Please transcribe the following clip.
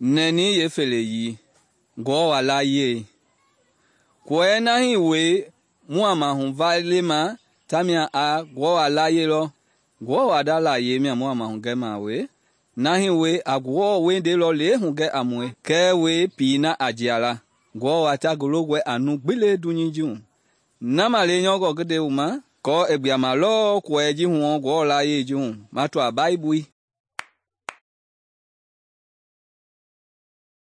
Nɛni yeefeleyii, Ngewɔ wa layie. Kɔɛ na hii wee mu a mahu va lema tamia a Ngewɔ wa layie lɔ. Ngewɔ wa nda layie mia mu a mahugɛma a wue, na hii wee a Ngewɔ wendei lɔ lɛi hugɛ a mue kɛɛ wee pii na a jia la. Ngewɔ wa ta ngi longɔe a nu gbi le dunyei ji hu. Na ma lenyɔngɔ ngi nde wu ma, aako i gbuama lɔɔ kɔɛ ji huɔ Ngewɔ layie ji hu, ma tɔa Baibui.